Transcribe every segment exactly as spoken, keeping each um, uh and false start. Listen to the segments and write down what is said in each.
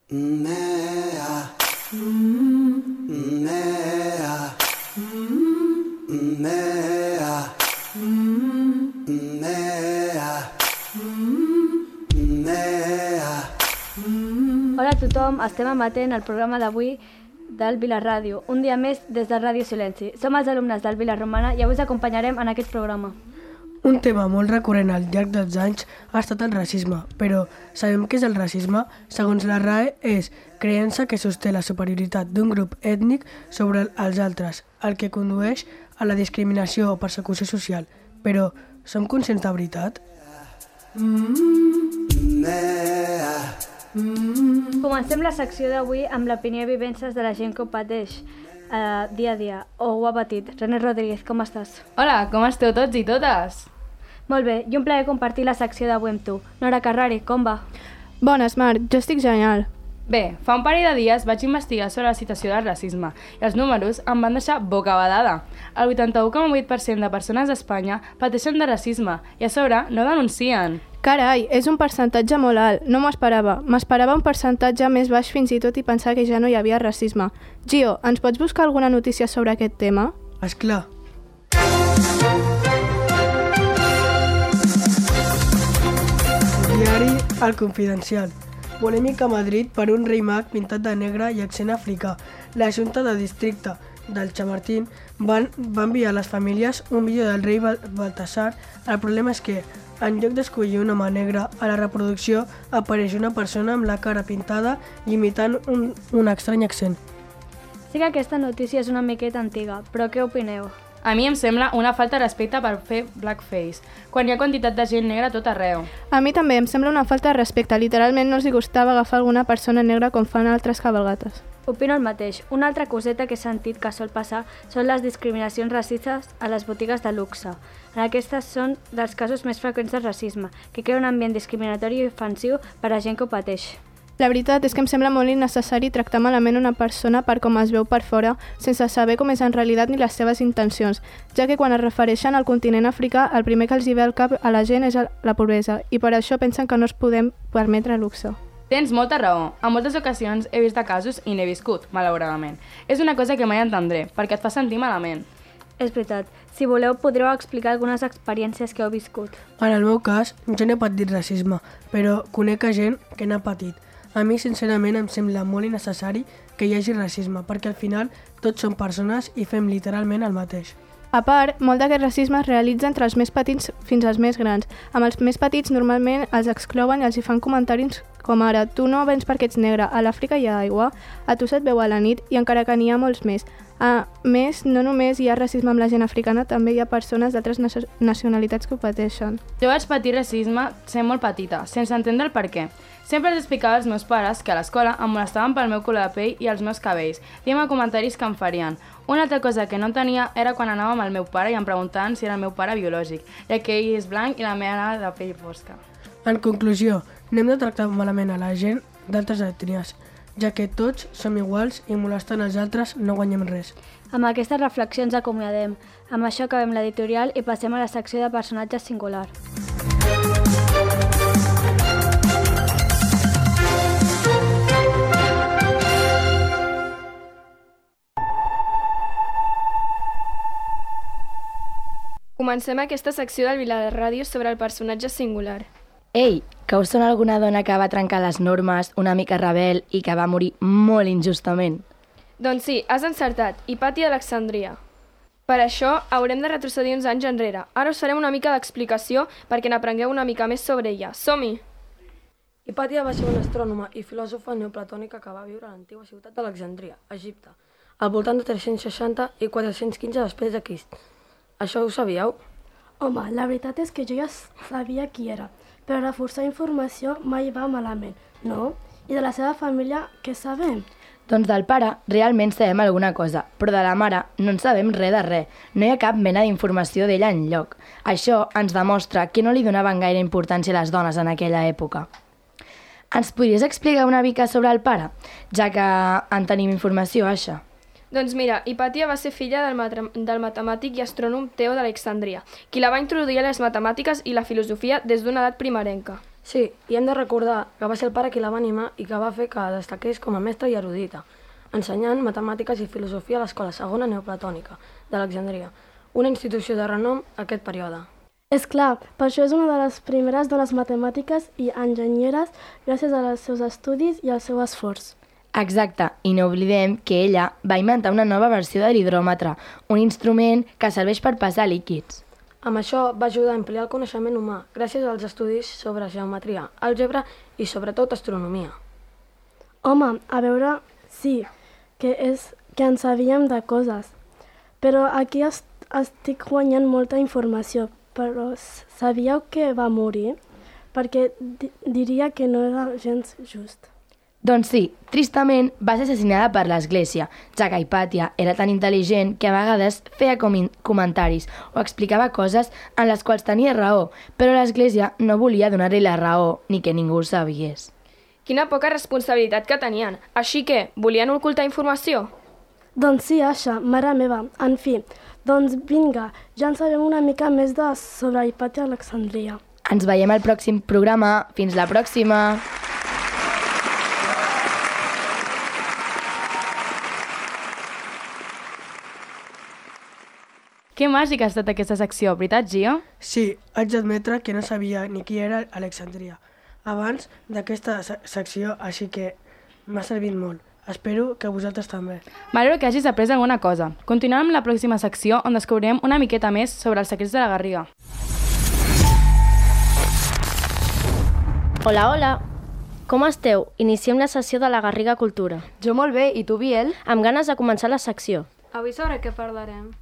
Hola a tothom, estem emetent el programa d'avui del Vila Ràdio, un dia més des de Ràdio Silenci. Som els alumnes del Vila Romana i avui us acompanyarem en aquest programa. Un tema molt recurrent al llarg dels anys ha estat el racisme, però sabem què és el racisme? Segons la R A E, és creença que sosté la superioritat d'un grup ètnic sobre els altres, el que condueix a la discriminació o persecució social. Però som conscients de veritat? Comencem la secció d'avui amb l'opinió i vivències de la gent que ho pateix eh, dia a dia, o ho ha patit. René Rodríguez, com estàs? Hola, com esteu tots i totes? Molt bé, i un plaer compartir la secció d'avui amb tu. Nora Carrari, com va? Bones, Marc, jo estic genial. Bé, fa un parell de dies vaig investigar sobre la situació del racisme i els números em van deixar bocabadada. El vuitanta-u coma vuit per cent de persones d'Espanya pateixen de racisme i a sobre no denuncien. Carai, és un percentatge molt alt, no m'ho esperava. M'esperava un percentatge més baix fins i tot i pensar que ja no hi havia racisme. Gio, ens pots buscar alguna notícia sobre aquest tema? Esclar. Diari El Confidencial. Polèmica a Madrid per un rei mag pintat de negre i accent africà. La Junta de Districte del Chamartín van, va enviar a les famílies un vídeo del rei Baltasar. El problema és que, en lloc d'escollir un home negre, a la reproducció apareix una persona amb la cara pintada imitant un, un estrany accent. Sí que aquesta notícia és una miqueta antiga, però què opineu? A mi em sembla una falta de respecte per fer blackface, quan hi ha quantitat de gent negra a tot arreu. A mi també em sembla una falta de respecte. Literalment no els hi gustava agafar alguna persona negra com fan altres cabalgates. Opino el mateix. Una altra coseta que he sentit que sol passar són les discriminacions racistes a les botigues de luxe. En aquestes són dels casos més freqüents de racisme, que crea un ambient discriminatori i ofensiu per a gent que ho pateix. La veritat és que em sembla molt innecessari tractar malament una persona per com es veu per fora, sense saber com és en realitat ni les seves intencions, ja que quan es refereixen al continent africà, el primer que els hi ve al cap a la gent és la pobresa, i per això pensen que no es podem permetre luxe. Tens molta raó. En moltes ocasions he vist de casos i n'he viscut, malauradament. És una cosa que mai entendré, perquè et fa sentir malament. És veritat. Si voleu, podreu explicar algunes experiències que heu viscut. En el meu cas, jo no he patit racisme, però conec a gent que n'ha patit. A mi, sincerament, em sembla molt innecessari que hi hagi racisme, perquè al final tots som persones i fem literalment el mateix. A part, molt d'aquest racisme es realitza entre els més petits fins als més grans. Amb els més petits normalment els exclouen i els hi fan comentaris com ara «Tu no vens perquè ets negre, a l'Àfrica hi ha aigua, a tu se't veu a la nit» i encara que n'hi ha molts més. A més, no només hi ha racisme amb la gent africana, també hi ha persones d'altres nacionalitats que ho pateixen. Jo vaig patir racisme sent molt petita, sense entendre el per què. Sempre els explicava als meus pares que a l'escola em molestaven pel meu color de pell i els meus cabells, dient-me comentaris que em farien. Una altra cosa que no tenia era quan anava amb el meu pare i em preguntaven si era el meu pare biològic, ja que ell és blanc i la meva de pell fosca. En conclusió, no hem de tractar malament a la gent d'altres ètnies, ja que tots som iguals i molestant els altres no guanyem res. Amb aquestes reflexions acomiadem. Amb això acabem l'editorial i passem a la secció de personatges singular. Comencem aquesta secció del Vila Ràdio sobre el personatge singular. Ei, que us sona alguna dona que va trencar les normes, una mica rebel i que va morir molt injustament? Doncs sí, has encertat, Hipàtia d'Alexandria. Per això haurem de retrocedir uns anys enrere. Ara us farem una mica d'explicació perquè n'aprengueu una mica més sobre ella. Som-hi! Hipàtia va ser una astrònoma i filòsofa neoplatònica que va viure a l'antiga ciutat d'Alexandria, Egipte, al voltant de tres-cents seixanta i quatre-cents quinze després de Crist. Això ho sabíeu? Home, la veritat és que jo ja sabia qui era, però reforçar informació mai va malament, no? I de la seva família, què sabem? Doncs del pare realment sabem alguna cosa, però de la mare no en sabem res de res. No hi ha cap mena d'informació d'ella enlloc. Això ens demostra que no li donaven gaire importància a les dones en aquella època. Ens podries explicar una mica sobre el pare, ja que en tenim informació, això? Doncs mira, Hipàtia va ser filla del, mat- del matemàtic i astrònom Teo d'Alexandria, qui la va introduir a les matemàtiques i la filosofia des d'una edat primerenca. Sí, i hem de recordar que va ser el pare qui la va animar i que va fer que destaqués com a mestra i erudita, ensenyant matemàtiques i filosofia a l'escola segona neoplatònica d'Alexandria, una institució de renom aquest període. És clar, per això és una de les primeres dones matemàtiques i enginyeres gràcies als seus estudis i al seu esforç. Exacte, i no oblidem que ella va inventar una nova versió de l'hidròmetre, un instrument que serveix per pesar líquids. Amb això va ajudar a ampliar el coneixement humà gràcies als estudis sobre geometria, àlgebra i sobretot astronomia. Home, a veure, sí, que és que en sabíem de coses, però aquí est estic guanyant molta informació, però sabíeu que va morir? Perquè di diria que no era gens just. Doncs sí, tristament va ser assassinada per l'Església, ja que Hipàtia era tan intel·ligent que a vegades feia com comentaris o explicava coses en les quals tenia raó, però l'Església no volia donar-li la raó ni que ningú ho sabies. Quina poca responsabilitat que tenien. Així que, volien ocultar informació? Doncs sí, Asha, mare meva. En fi, doncs vinga, ja en sabem una mica més de sobre Hipàtia Alexandria. Ens veiem al pròxim programa. Fins la pròxima! Que màgica ha estat aquesta secció, veritat, Gio? Sí, haig d'admetre que no sabia ni qui era Alexandria abans d'aquesta secció, així que m'ha servit molt. Espero que vosaltres també. M'alegro que hagis après alguna cosa. Continuem amb la pròxima secció on descobrirem una miqueta més sobre els secrets de la Garriga. Hola, hola! Com esteu? Iniciem la sessió de la Garriga Cultura. Jo molt bé, i tu, Biel? Amb ganes de començar la secció. Avui sobre què parlarem?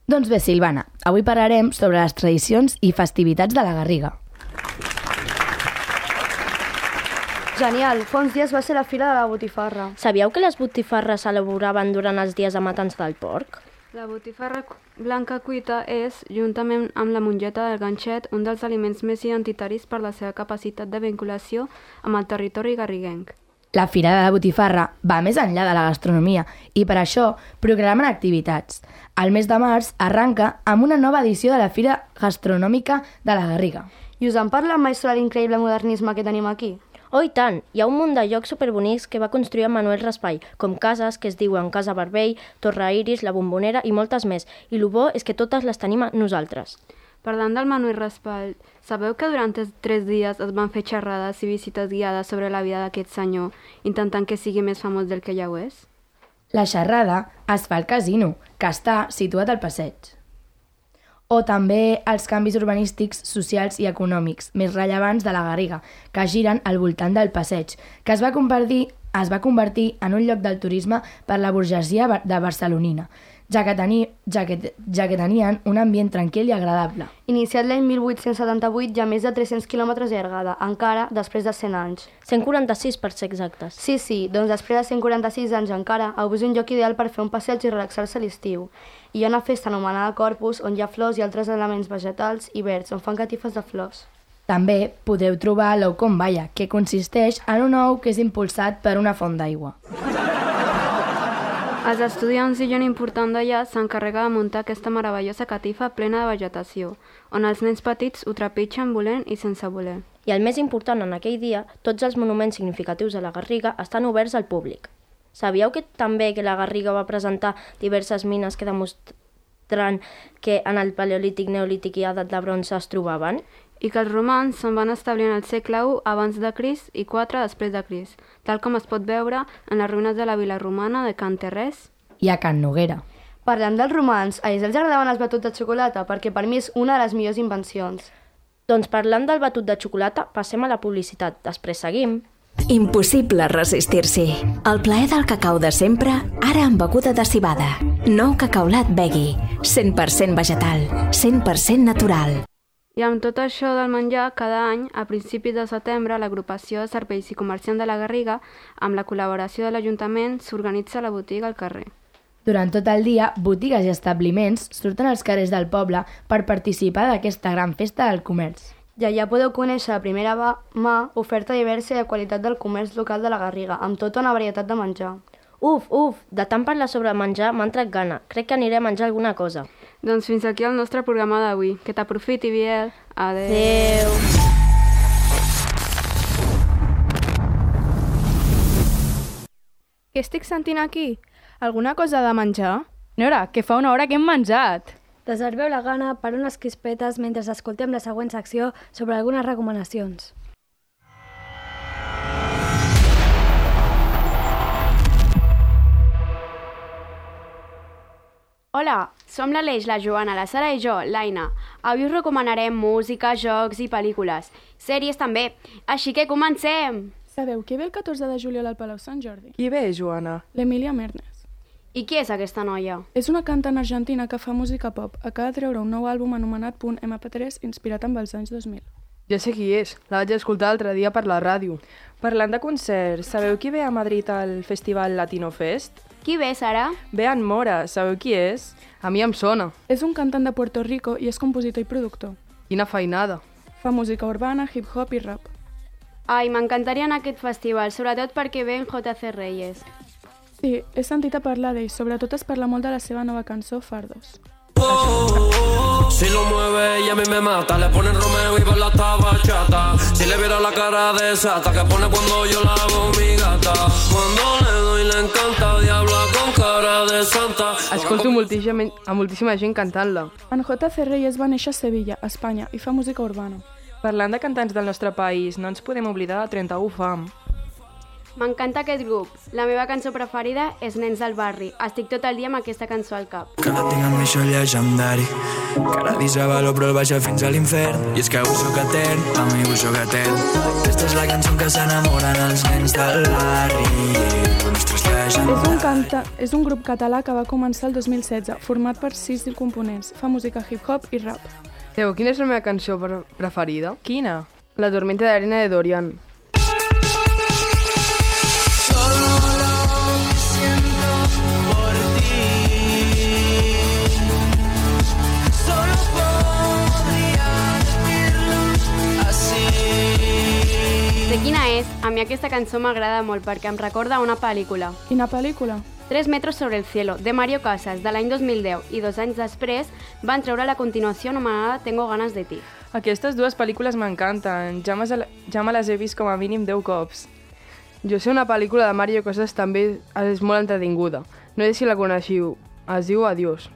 Doncs bé, Silvana, avui parlarem sobre les tradicions i festivitats de la Garriga. Genial, fa uns dies va ser la fira de la botifarra. Sabíeu que les botifarres s'elaboraven durant els dies de matança del porc? La botifarra blanca cuita és, juntament amb la mongeta del ganxet, un dels aliments més identitaris per la seva capacitat de vinculació amb el territori garriguenc. La Fira de la Botifarra va més enllà de la gastronomia i per això programen activitats. El mes de març arranca amb una nova edició de la Fira Gastronòmica de la Garriga. I us en parla mai sobre l'increïble modernisme que tenim aquí? Oh, i tant! Hi ha un munt de llocs superbonics que va construir en Manuel Raspall, com cases que es diuen Casa Barbell, Torre Iris, La Bombonera i moltes més. I el bo és que totes les tenim a nosaltres. Parlant del Manuel Raspall, sabeu que durant tres dies es van fer xerrades i visites guiades sobre la vida d'aquest senyor, intentant que sigui més famós del que ja ho és? La xerrada es fa al casino, que està situat al passeig. O també els canvis urbanístics, socials i econòmics més rellevants de la Garriga, que giren al voltant del passeig, que es va convertir, es va convertir en un lloc del turisme per la burgesia de barcelonina, ja que, teni, ja, que, ja que tenien un ambient tranquil i agradable. Iniciat l'any mil vuit-cents setanta-vuit, hi ha més de tres-cents quilòmetres de llargada, encara després de cent anys. cent quaranta-sis per ser exactes. Sí, sí, doncs després de cent quaranta-sis anys encara, avui és un lloc ideal per fer un passeig i relaxar-se a l'estiu. I hi ha una festa anomenada Corpus, on hi ha flors i altres elements vegetals i verds, on fan catifes de flors. També podeu trobar l'ou com balla, que consisteix en un ou que és impulsat per una font d'aigua. Els estudiants i gent important d'allà s'encarrega de muntar aquesta meravellosa catifa plena de vegetació, on els nens petits ho trepitgen volent i sense voler. I el més important en aquell dia, tots els monuments significatius de la Garriga estan oberts al públic. Sabíeu que també que la Garriga va presentar diverses mines que demostren que en el Paleolític, Neolític i Edat de Bronze es trobaven? I que els romans se'n van establir en el segle u abans de Crist i quatre després de Crist, tal com es pot veure en les ruïnes de la vila romana de Can Terrés i a Can Noguera. Parlant dels romans, a ells els agradaven els batuts de xocolata, perquè per mi és una de les millors invencions. Doncs parlant del batut de xocolata, passem a la publicitat. Després seguim. Impossible resistir-s'hi. El plaer del cacau de sempre, ara amb beguda de cibada. Nou Cacaulat Veggie, cent per cent vegetal, cent per cent natural. I amb tot això del menjar, cada any, a principis de setembre, l'agrupació de serveis i comerciants de la Garriga, amb la col·laboració de l'Ajuntament, s'organitza la botiga al carrer. Durant tot el dia, botigues i establiments surten als carrers del poble per participar d'aquesta gran festa del comerç. I allà podeu conèixer a primera mà oferta diversa i de qualitat del comerç local de la Garriga, amb tota una varietat de menjar. Uf, uf, de tant parlar sobre menjar m'ha entrat gana. Crec que aniré a menjar alguna cosa. Doncs fins aquí el nostre programa d'avui. Que t'aprofiti, Biel. Adéu. Adéu. Què estic sentint aquí? Alguna cosa de menjar? Nora, que fa una hora que hem menjat. Reserveu la gana per unes crispetes mentre escoltem la següent secció sobre algunes recomanacions. Hola, som l'Aleix, la Joana, la Sara i jo, l'Aina. Avui us recomanarem música, jocs i pel·lícules. Sèries també. Així que comencem! Sabeu qui ve el catorze de juliol al Palau Sant Jordi? Qui ve, Joana? L'Emília Mernes. I qui és aquesta noia? És una cantant argentina que fa música pop. Acaba de treure un nou àlbum anomenat Punt ema pe tres, inspirat amb els anys dos mil. Ja sé qui és, la vaig escoltar l'altre dia per la ràdio. Parlant de concerts, sabeu qui ve a Madrid al Festival Latino Fest? Qui ve, Sara? Ve en Mora, sabeu qui és? A mi em sona. És un cantant de Puerto Rico i és compositor i productor. Quina feinada. Fa música urbana, hip-hop i rap. Ai, m'encantaria anar a aquest festival, sobretot perquè ve en jota ce Reyes. Sí, he sentit a parlar d'ell, sobretot es parla molt de la seva nova cançó, Fardos. Oh, oh, oh, si lo mueve y a mí me mata, le ponen Romeo y baila esta bachata. Si le viera la cara de sata que pone cuando yo la hago mi gata. Cuando le doy le encanta, diabla con cara de santa. Escolto moltíssima, a moltíssima gent cantant-la. En jota ce Reyes va néixer a Sevilla, Espanya, i fa música urbana. Parlant de cantants del nostre país, no ens podem oblidar de trenta-u Fam. M'encanta aquest grup. La meva cançó preferida és Nens del barri. Estic tot el dia amb aquesta cançó al cap. Que la tinc amb mi això llegendari. Cada dia valor però el baixa fins a l'infern. I és que ho soc etern, a mi ho soc etern. Aquesta és la cançó que s'enamoren els nens del barri. És un, canta, és un grup català que va començar el dos mil setze, format per sis components. Fa música hip-hop i rap. Teo, quina és la meva cançó preferida? Quina? La tormenta de arena de Dorian. De quina és? A mi aquesta cançó m'agrada molt perquè em recorda una pel·lícula. Quina pel·lícula? Tres metros sobre el cielo, de Mario Casas, de l'any dos mil deu, i dos anys després van treure la continuació anomenada Tengo ganas de ti. Aquestes dues pel·lícules m'encanten, ja, ja me les he vist com a mínim deu cops. Jo sé una pel·lícula de Mario Casas també és molt entretinguda. No sé si la coneixiu, es diu Adiós.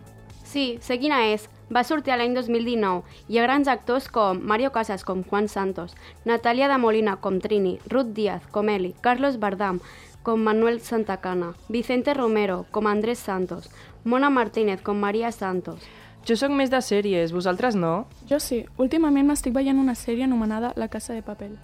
Sí, sé quina és. Va sortir l'any dos mil dinou. Hi ha grans actors com Mario Casas, com Juan Santos, Natalia de Molina, com Trini, Ruth Díaz, com Eli, Carlos Bardam, com Manuel Santacana, Vicente Romero, com Andrés Santos, Mona Martínez, com María Santos. Jo sóc més de sèries, vosaltres no? Jo sí. Últimament m'estic veient una sèrie anomenada La Casa de Papel.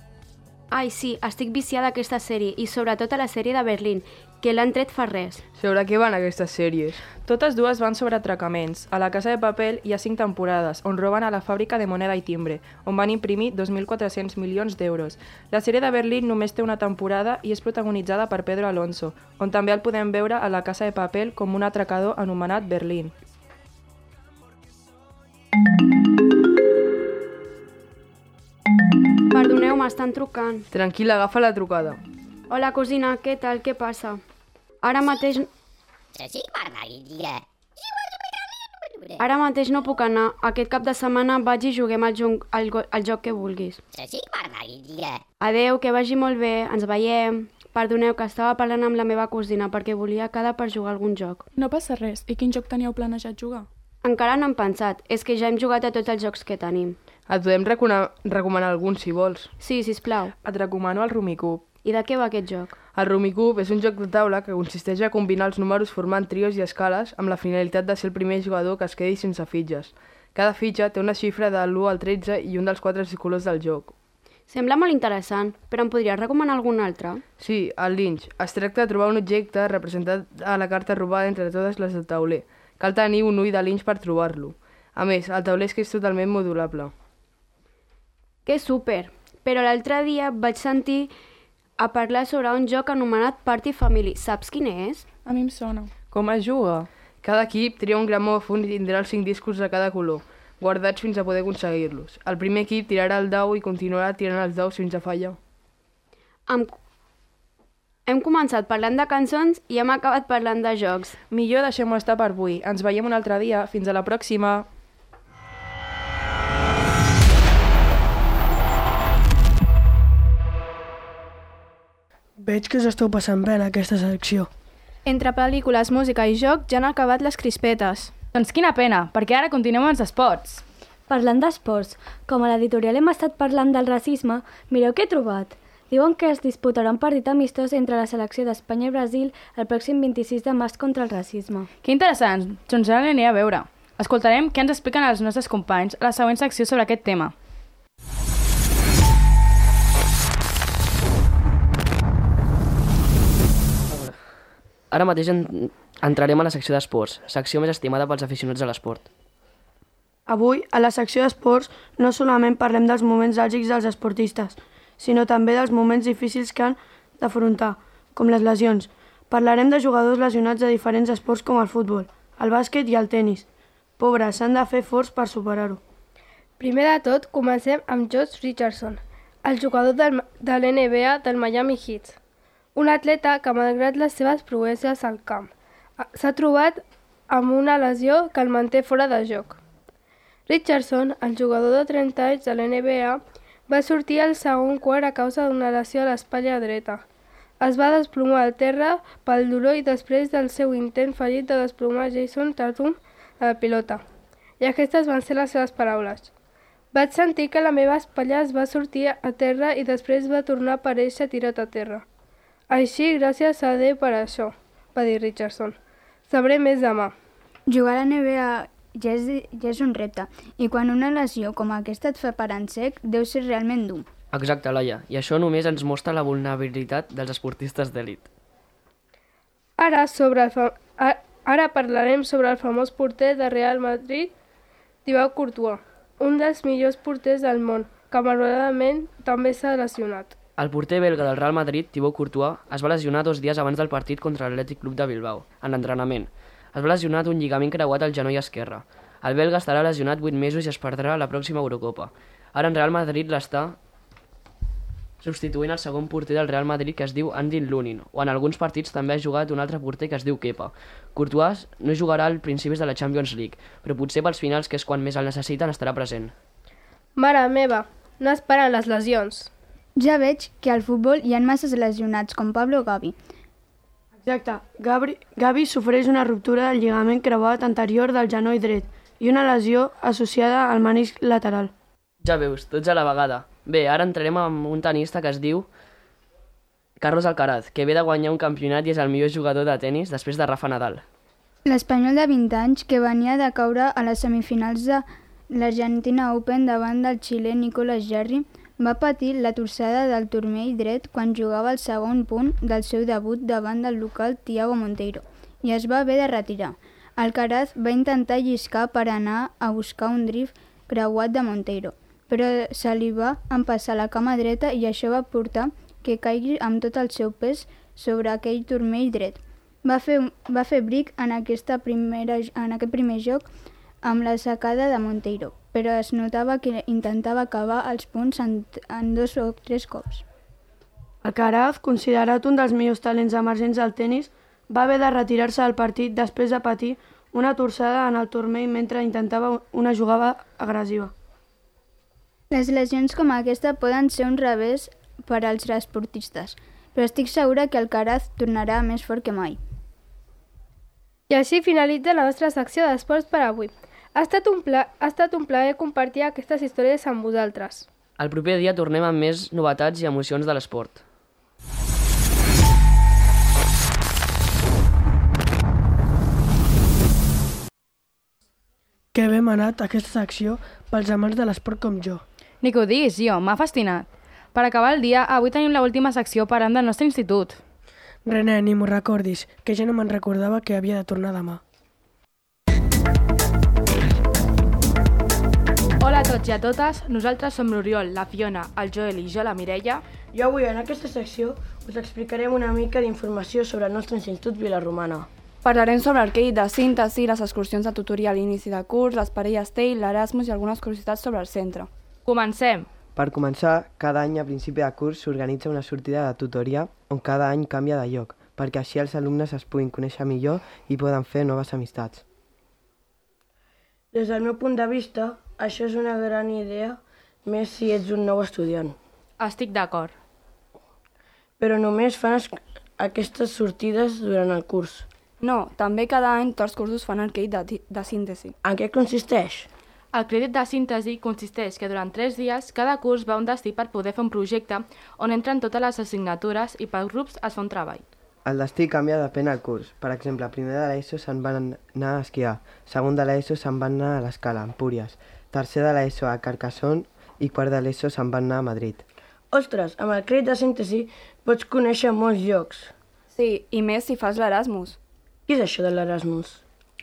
Ai, sí, estic viciada a aquesta sèrie, i sobretot a la sèrie de Berlín, que l'han tret fa res. Sobre què van aquestes sèries? Totes dues van sobre atracaments. A La Casa de Papel hi ha cinc temporades, on roben a la fàbrica de moneda i timbre, on van imprimir dos mil quatre-cents milions d'euros. La sèrie de Berlín només té una temporada i és protagonitzada per Pedro Alonso, on també el podem veure a La Casa de Papel com un atracador anomenat Berlín. Perdoneu, m'estan trucant. Tranquil·la, agafa la trucada. Hola, cosina, què tal? Què passa? Ara mateix... Ara mateix no puc anar. Aquest cap de setmana vaig i juguem al, joc, al, al joc que vulguis. Adeu, que vagi molt bé. Ens veiem. Perdoneu, que estava parlant amb la meva cosina perquè volia quedar per jugar a algun joc. No passa res. I quin joc teníeu planejat jugar? Encara no hem pensat. És que ja hem jugat a tots els jocs que tenim. Et podem recomanar algun, si vols. Sí, sisplau. Et recomano el Rummikub. I de què va aquest joc? El Rummikub és un joc de taula que consisteix a combinar els números formant trios i escales amb la finalitat de ser el primer jugador que es quedi sense fitxes. Cada fitxa té una xifra de l'u al tretze i un dels quatre colors del joc. Sembla molt interessant, però em podries recomanar algun altre? Sí, el Lynch. Es tracta de trobar un objecte representat a la carta robada entre totes les del tauler. Cal tenir un ull de Lynch per trobar-lo. A més, el tauler és que és totalment modulable. Que súper! Però l'altre dia vaig sentir a parlar sobre un joc anomenat Party Family. Saps quin és? A mi em sona. Com es juga? Cada equip tria un gramòfon i tindrà els cinc discos de cada color, guardats fins a poder aconseguir-los. El primer equip tirarà el dau i continuarà tirant els daus fins a fallar. Hem... Hem començat parlant de cançons i hem acabat parlant de jocs. Millor deixem-ho estar per avui. Ens veiem un altre dia. Fins a la pròxima! Veig que us esteu passant bé en aquesta secció. Entre pel·lícules, música i joc ja han acabat les crispetes. Doncs quina pena, perquè ara continuem amb els esports. Parlant d'esports, com a l'editorial hem estat parlant del racisme, mireu què he trobat. Diuen que es disputarà un partit amistós entre la selecció d'Espanya i Brasil el pròxim vint-i-sis de març contra el racisme. Que interessant, doncs ara l'aniré a veure. Escoltarem què ens expliquen els nostres companys a la següent secció sobre aquest tema. Ara mateix en... entrarem a la secció d'esports, secció més estimada pels aficionats a l'esport. Avui, a la secció d'esports, no solament parlem dels moments àlgics dels esportistes, sinó també dels moments difícils que han d'afrontar, com les lesions. Parlarem de jugadors lesionats de diferents esports com el futbol, el bàsquet i el tennis. Pobres, s'han de fer forts per superar-ho. Primer de tot, comencem amb Josh Richardson, el jugador del, de l'N B A del Miami Heat. Un atleta que, malgrat les seves proeses al camp, s'ha trobat amb una lesió que el manté fora de joc. Richardson, el jugador de trenta anys de l'N B A, va sortir al segon quart a causa d'una lesió a l'espatlla dreta. Es va desplomar al terra pel dolor i després del seu intent fallit de desplomar Jason Tatum a la pilota. I aquestes van ser les seves paraules. Vaig sentir que la meva espatlla es va sortir a terra i després va tornar a aparèixer tirat a terra. Així, gràcies a Déu per això, va dir Richardson. Sabré més demà. Jugar a la N B A ja és, ja és un repte, i quan una lesió com aquesta et fa parar en sec, deu ser realment dur. Exacte, Laia, i això només ens mostra la vulnerabilitat dels esportistes d'elit. Ara, sobre el fa... Ara parlarem sobre el famós porter de Real Madrid, Thibaut Courtois, un dels millors porters del món, que malauradament també s'ha lesionat. El porter belga del Real Madrid, Thibaut Courtois, es va lesionar dos dies abans del partit contra l'Atlètic Club de Bilbao, en l'entrenament. Es va lesionar d'un lligament creuat al genoll esquerre. El belga estarà lesionat vuit mesos i es perdrà la pròxima Eurocopa. Ara en Real Madrid l'està substituint el segon porter del Real Madrid, que es diu Andy Lunin, o en alguns partits també ha jugat un altre porter que es diu Kepa. Courtois no jugarà al principis de la Champions League, però potser pels finals, que és quan més el necessiten, estarà present. Mare meva, no esperen les lesions. Ja veig que al futbol hi ha masses lesionats, com Pablo Gavi. Exacte. Gavi, Gavi sofreix una ruptura del lligament creuat anterior del genoll dret i una lesió associada al menisc lateral. Ja veus, tots a la vegada. Bé, ara entrarem amb un tenista que es diu Carlos Alcaraz, que ve de guanyar un campionat i és el millor jugador de tennis després de Rafa Nadal. L'espanyol de vint anys, que venia de caure a les semifinals de l'Argentina Open davant del xilè Nicolas Jarry, va patir la torçada del turmell dret quan jugava el segon punt del seu debut davant del local Thiago Monteiro i es va haver de retirar. Alcaraz va intentar lliscar per anar a buscar un drift creuat de Monteiro, però se li va empassar la cama dreta i això va portar que caigui amb tot el seu pes sobre aquell turmell dret. Va fer, va fer bric en, aquesta primera, en aquest primer joc amb la sacada de Monteiro, però es notava que intentava acabar els punts en, en dos o tres cops. Alcaraz, considerat un dels millors talents emergents del tennis, va haver de retirar-se del partit després de patir una torçada en el turmell mentre intentava una jugada agressiva. Les lesions com aquesta poden ser un revés per als esportistes, però estic segura que Alcaraz tornarà més fort que mai. I així finalitza la nostra secció d'esports per avui. Ha estat, un pla... ha estat un plaer compartir aquestes històries amb vosaltres. El proper dia tornem amb més novetats i emocions de l'esport. Que bé m'ha anat aquesta secció pels amants de l'esport com jo. Ni que ho diguis, jo, m'ha fascinat. Per acabar el dia, avui tenim l'última secció parlant del nostre institut. René, ni m'ho recordis, que ja no me'n recordava que havia de tornar demà. Hola a tots i a totes, nosaltres som l'Oriol, la Fiona, el Joel i jo, la Mireia. Jo avui en aquesta secció us explicarem una mica d'informació sobre el nostre Institut Vilarromana. Parlarem sobre el crèdit de síntesi, les excursions de tutorial a l'inici de curs, les parelles T E I, l'Erasmus i algunes curiositats sobre el centre. Comencem! Per començar, cada any a principi de curs s'organitza una sortida de tutoria on cada any canvia de lloc, perquè així els alumnes es puguin conèixer millor i poden fer noves amistats. Des del meu punt de vista, això és una gran idea, més si ets un nou estudiant. Estic d'acord. Però només fan, aquestes sortides durant el curs? No, també cada any tots els cursos fan el crèdit de, de síntesi. En què consisteix? El crèdit de síntesi consisteix que durant tres dies cada curs va a un destí per poder fer un projecte on entren totes les assignatures i per grups es fa un treball. El destí canvia depèn del curs. Per exemple, primer de l'ESO se'n van anar a esquiar, segon de l'ESO se'n van anar a l'Escala, a Empúries, tercer de l'ESO a Carcassonne i quart de l'ESO se'n van anar a Madrid. Ostres, amb el crèdit de síntesi pots conèixer molts llocs. Sí, i més si fas l'Erasmus. Què és això de l'Erasmus?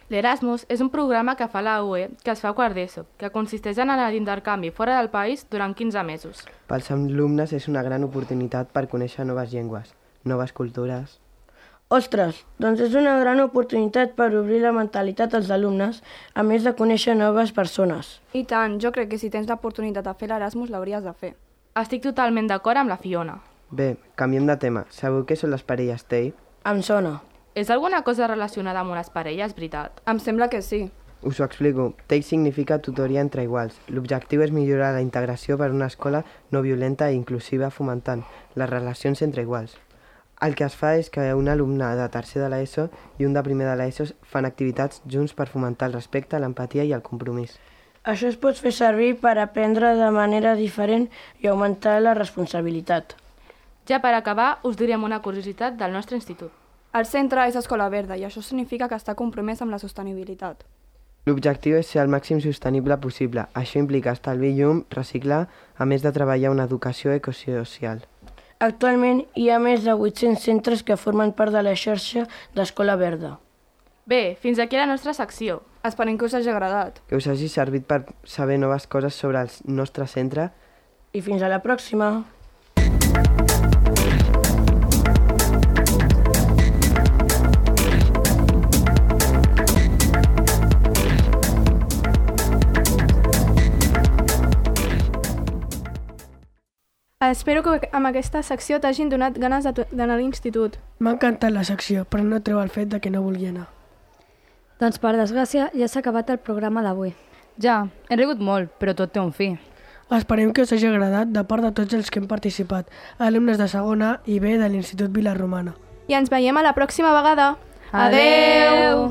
L'Erasmus és un programa que fa la U E que es fa a quart d'ESO, que consisteix en anar d'intercanvi fora del país durant quinze mesos. Pels alumnes és una gran oportunitat per conèixer noves llengües, noves cultures. Ostres, doncs és una gran oportunitat per obrir la mentalitat als alumnes, a més de conèixer noves persones. I tant, jo crec que si tens l'oportunitat de fer l'Erasmus l'hauries de fer. Estic totalment d'acord amb la Fiona. Bé, canviem de tema. Sabeu què són les parelles T E I? Em sona. És alguna cosa relacionada amb unes parelles, veritat? Em sembla que sí. Us ho explico. T E I significa tutoria entre iguals. L'objectiu és millorar la integració per una escola no violenta i inclusiva fomentant les relacions entre iguals. El que es fa és que un alumne de tercer de l'ESO i un de primer de l'ESO fan activitats junts per fomentar el respecte, l'empatia i el compromís. Això es pot fer servir per aprendre de manera diferent i augmentar la responsabilitat. Ja per acabar, us direm una curiositat del nostre institut. El centre és Escola Verda i això significa que està compromès amb la sostenibilitat. L'objectiu és ser el màxim sostenible possible. Això implica estalviar llum, reciclar, a més de treballar una educació ecosocial. Actualment hi ha més de vuit-cents centres que formen part de la xarxa d'Escola Verda. Bé, fins aquí la nostra secció. Esperem que us hagi agradat. Que us hagi servit per saber noves coses sobre el nostre centre. I fins a la pròxima! Espero que amb aquesta secció t'hagin donat ganes d'anar a l'institut. M'ha encantat la secció, però no treu el fet de que no vulgui anar. Doncs per desgràcia ja s'ha acabat el programa d'avui. Ja, he rigut molt, però tot té un fi. Esperem que us hagi agradat de part de tots els que hem participat, alumnes de segona i B de l'Institut Vila Romana. I ens veiem a la pròxima vegada. Adeu!